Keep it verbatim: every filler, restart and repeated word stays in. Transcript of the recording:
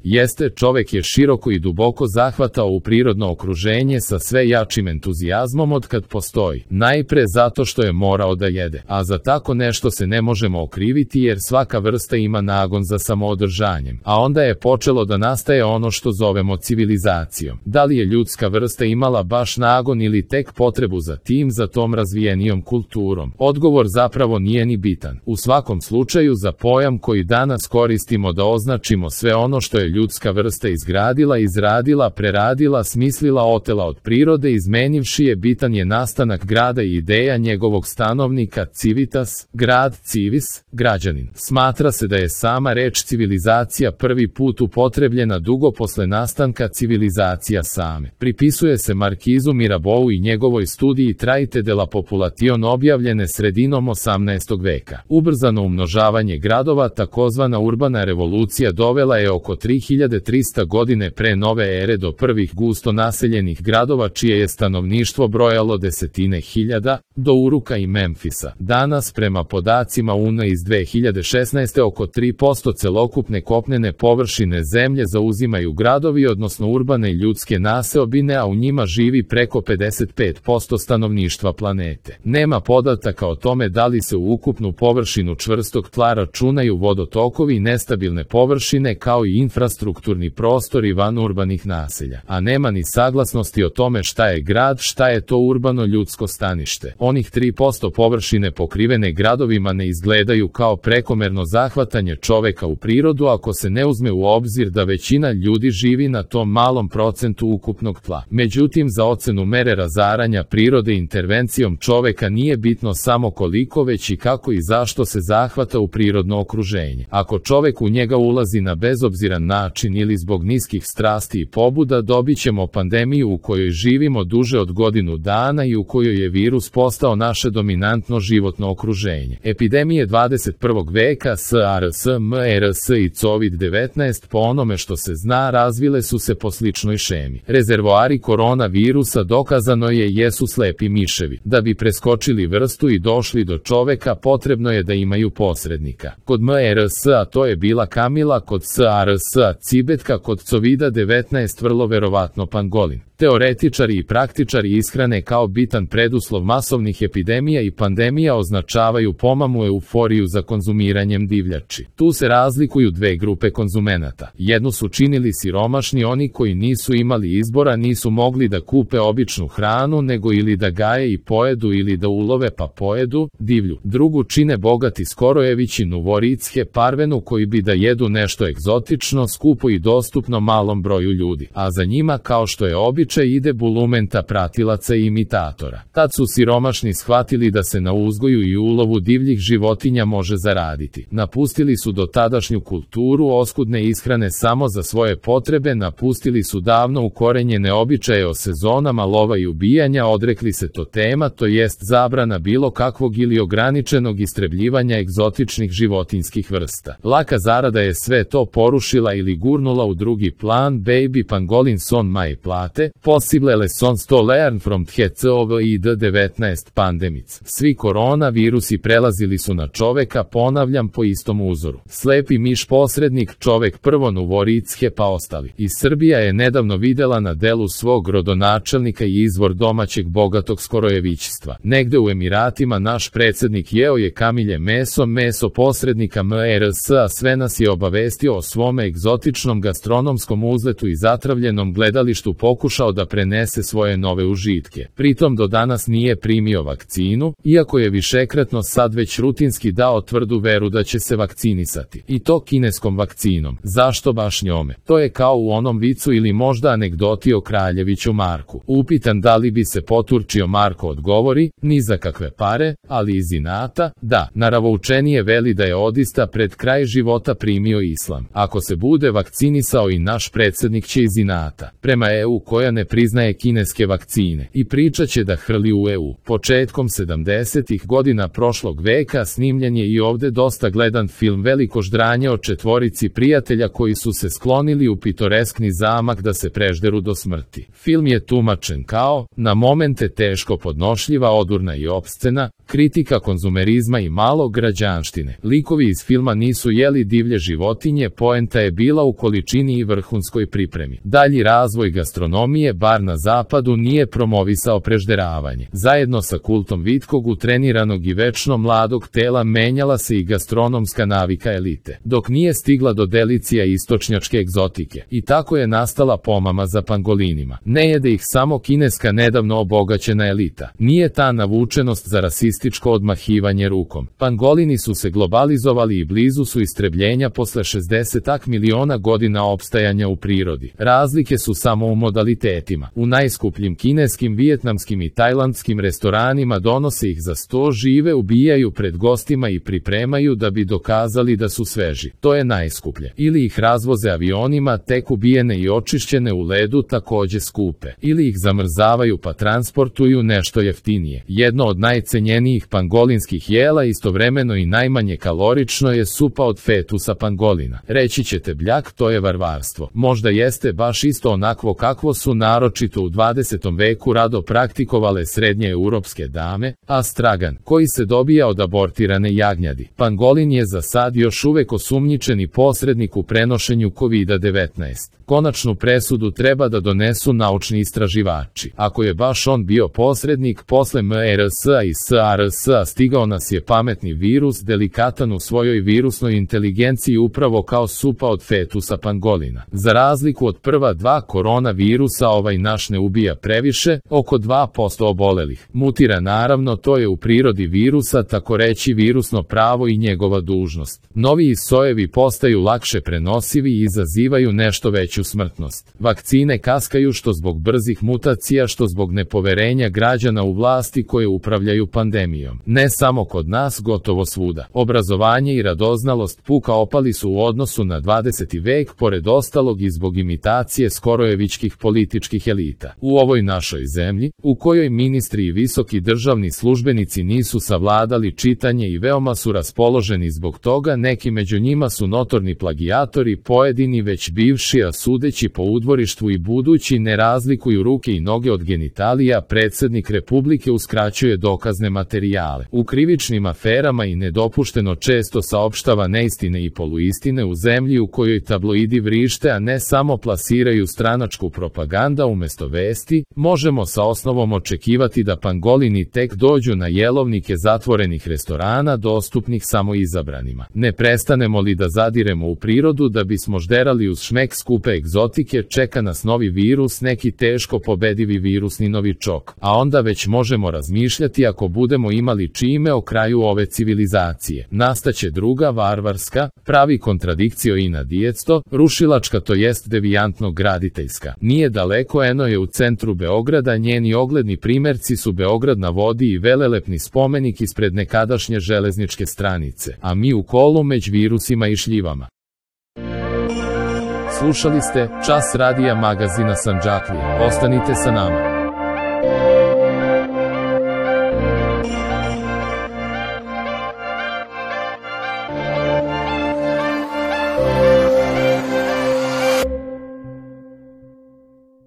Jeste, čovek je široko i duboko zahvatao u prirodno okruženje sa sve jačim entuzijazmom od kad postoji. Najpre zato što je morao da jede, a za tako nešto se ne možemo okriviti jer svaka vrsta ima nagon za samoodržanjem. A onda je počelo da nastaje ono što zovemo civilizacijom. Da li je ljudska vrsta imala baš nagon ili tek potrebu za tim, za tom razvijenijom kulturom? Odgovor zapravo nije ni bitan. U svakom slučaju, za pojam koji danas koristimo da označimo sve ono što je ljudska vrsta izgradila, izradila, preradila, smislila, otela od prirode, izmenivši je, bitan je nastanak grada i ideja njegovog stanovnika, civitas, grad, civis, građanin. Smatra se da je sama reč civilizacija prvi put upotrebljena dugo posle nastanka civilizacija same. Pripisuje se Markizu Mirabeau i njegovoj studiji Traite de la Population objavljene sredinom osamnaestog veka. Ubrzano umnožavanje gradova, takozvana urbana revolucija, dovela je oko tri hiljade trista godine pre nove ere do prvih gusto naseljenih gradova čije je stanovništvo brojalo desetine hiljada, do Uruka i Memfisa. Danas, prema podacima U N iz dve hiljade šesnaeste. oko tri posto celokupne kopnene površine zemlje zauzimaju gradovi, odnosno urbane ljudske naseobine, a u njima živi preko pedeset pet posto stanovništva planete. Nema podataka o tome da li se u ukupnu površinu čvrstog tla računaju vodotokovi i nestabilne površine kao i infrastrukturni prostori van urbanih naselja, a nema ni saglasnosti o tome šta je grad, šta je to urbano ljudsko stanište. Onih tri posto površine pokrivene gradovima ne izgledaju kao prekomerno zahvatanje čoveka u prirodu ako se ne uzme u obzir da većina ljudi živi na tom malom procentu ukupnog tla. Međutim, za ocenu mere razaranja prirode intervencijom čoveka nije bitno samo koliko, već i kako i zašto se zahvata u prirodno okruženje. Ako čovek u njega ulazi na bezobziran način ili zbog niskih strasti i pobuda, dobit ćemo pandemiju u kojoj živimo duže od godinu dana i u kojoj je virus postao naše dominantno životno okruženje. Epidemije dvadeset prvog veka, SARS, MERS i COVID devetnaest, po onome što se zna, razvile su se po sličnoj šemi. Rezervoari koronavirusa, dokazano je, jesu slepi miševi. Da bi preskočili vrstu i došli do čoveka, potrebno je da imaju posrednika. Kod MERS, a to je bila kamila, kod SARS, cibetka, kod covida devetnaest vrlo verovatno pangolin. Teoretičari i praktičari ishrane kao bitan preduslov masovnih epidemija i pandemija označavaju pomamu euforiju za konzumiranjem divljači. Tu se razlikuju dve grupe konzumenata. Jednu su činili siromašni, oni koji nisu imali izbora, nisu mogli da kupe običnu hranu, nego ili da gaje i pojedu ili da ulove pa pojedu divlju. Drugu čine bogati skorojevići, nuvoritske, parvenu, koji bi da jedu nešto egzotično, skupo i dostupno malom broju ljudi. A za njima, kao što je običaj, ide bulumenta pratilaca i imitatora. Tad su siromašni shvatili da se na uzgoju i ulovu divljih životinja može zaraditi. Napustili su dotadašnju kulturu oskudne ishrane samo za svoje potrebe, napustili su davno ukorenjene običaje o sezonama lova i ubijanja, odrekli se totema, to jest zabrana bilo kakvog ili ograničenog istrebljivanja egzotičnih životinskih vrsta. Laka zarada je sve to porušila ili gurnula u drugi plan. Baby pangolin son my plate, possible lessons to learn from the COVID devetnaest pandemics. Svi koronavirusi prelazili su na čoveka, ponavljam, po istom uzoru. Slepi miš posrednik, čovek prvo, nuvoritske pa ostali. I Srbija je nedavno videla na delu svog rodonačelnika i izvor domaćeg bogatog skorojevićstva. Negde u Emiratima naš predsednik jeo je kamilje meso, meso posrednika MERS, a sve nas je obavestio o svome egzotičnom gastronomskom uzletu i zatravljenom gledalištu, pokušao da prenese svoje nove užitke. Pritom do danas nije primio vakcinu, iako je višekratno sad već rutinski dao tvrdu veru da će se vakcinisati. I to kineskom vakcinom. Zašto baš njome? To je kao u onom vicu ili možda anegdoti o kraljeviću Marku. Upitan da li bi se poturčio, Marko odgovori, ni za kakve pare, ali iz inata, da. Naravoučenije veli da je odista pred kraj života primio islam. Ako se bude vakcinisao i naš predsednik će iz inata. Prema E U koja ne ne priznaje kineske vakcine i priča će da hrli u E U. Početkom sedamdesetih godina prošlog veka snimljen je i ovde dosta gledan film Veliko ždranje o četvorici prijatelja koji su se sklonili u pitoreskni zamak da se prežderu do smrti. Film je tumačen kao, na momente teško podnošljiva, odurna i opscena, kritika konzumerizma i malog građanštine. Likovi iz filma nisu jeli divlje životinje, poenta je bila u količini i vrhunskoj pripremi. Dalji razvoj gastronomije, bar na zapadu, nije promovisao prežderavanje. Zajedno sa kultom vitkog, utreniranog i večno mladog tela menjala se i gastronomska navika elite, dok nije stigla do delicija istočnjačke egzotike. I tako je nastala pomama za pangolinima. Ne jede ih samo kineska nedavno obogaćena elita. Nije ta navučenost za rasističko odmahivanje rukom. Pangolini su se globalizovali i blizu su istrebljenja posle šezdeset miliona godina opstajanja u prirodi. Razlike su samo u modalitetima. U najskupljim kineskim, vijetnamskim i tajlandskim restoranima donose ih za sto žive, ubijaju pred gostima i pripremaju da bi dokazali da su sveži. To je najskuplje. Ili ih razvoze avionima, tek ubijene i očišćene u ledu, takođe skupe. Ili ih zamrzavaju pa transportuju nešto jeftinije. Jedno od najcenjenijih pangolinskih jela, istovremeno i najmanje kalorično, je supa od fetusa pangolina. Reći ćete, bljak, to je varvarstvo. Možda jeste baš isto onakvo kakvo su naročito u dvadesetom veku rado praktikovale srednje europske dame, astragan, koji se dobija od abortirane jagnjadi. Pangolin je za sad još uvek osumnjičeni posrednik u prenošenju kovida devetnaest. Konačnu presudu treba da donesu naučni istraživači. Ako je baš on bio posrednik, posle MERS-a i SARS-a stigao nas je pametni virus, delikatan u svojoj virusnoj inteligenciji upravo kao supa od fetusa pangolina. Za razliku od prva dva koronavirusa, ovaj naš ne ubija previše, oko dva posto obolelih. Mutira naravno, to je u prirodi virusa, tako reći virusno pravo i njegova dužnost. Novi sojevi postaju lakše prenosivi i izazivaju nešto veću smrtnost. Vakcine kaskaju što zbog brzih mutacija, što zbog nepoverenja građana u vlasti koje upravljaju pandemijom. Ne samo kod nas, gotovo svuda. Obrazovanje i radoznalost puka opali su u odnosu na dvadeseti vek, pored ostalog i zbog imitacije skorojevičkih političkih elita. U ovoj našoj zemlji, u kojoj ministri i visoki državni službenici nisu savladali čitanje i veoma su raspoloženi zbog toga, neki među njima su notorni plagijatori, pojedini već bivši, a sudeći po udvorištvu i budući ne razlikuju ruke i noge od genitalija, predsednik Republike uskraćuje dokazne materijale. U krivičnim aferama i nedopušteno često saopštava neistine i poluistine u zemlji u kojoj tabloidi vrište, a ne samo plasiraju stranačku propaganda umesto vesti, možemo sa osnovom očekivati da pangolini tek dođu na jelovnike zatvorenih restorana dostupnih samo izabranima. Ne prestanemo li da zadiremo u prirodu da bismo žderali uz šmek skupe egzotike, čeka nas novi virus, neki teško pobedivi virusni novičok, a onda već možemo razmišljati, ako budemo imali čime o kraju ove civilizacije. Nastaće druga, varvarska, pravi kontradikcio i nadjesto, rušilačka, to jest devijantno graditeljska. Nije daleko, eno je u centru Beograda, njeni ogledni primerci su Beograd na vodi i velelepni spomenik ispred nekadašnje železničke stranice, a mi u kolu među virusima i šljivama. Slušali ste Čas radija magazina Sandžaklija. Ostanite sa nama.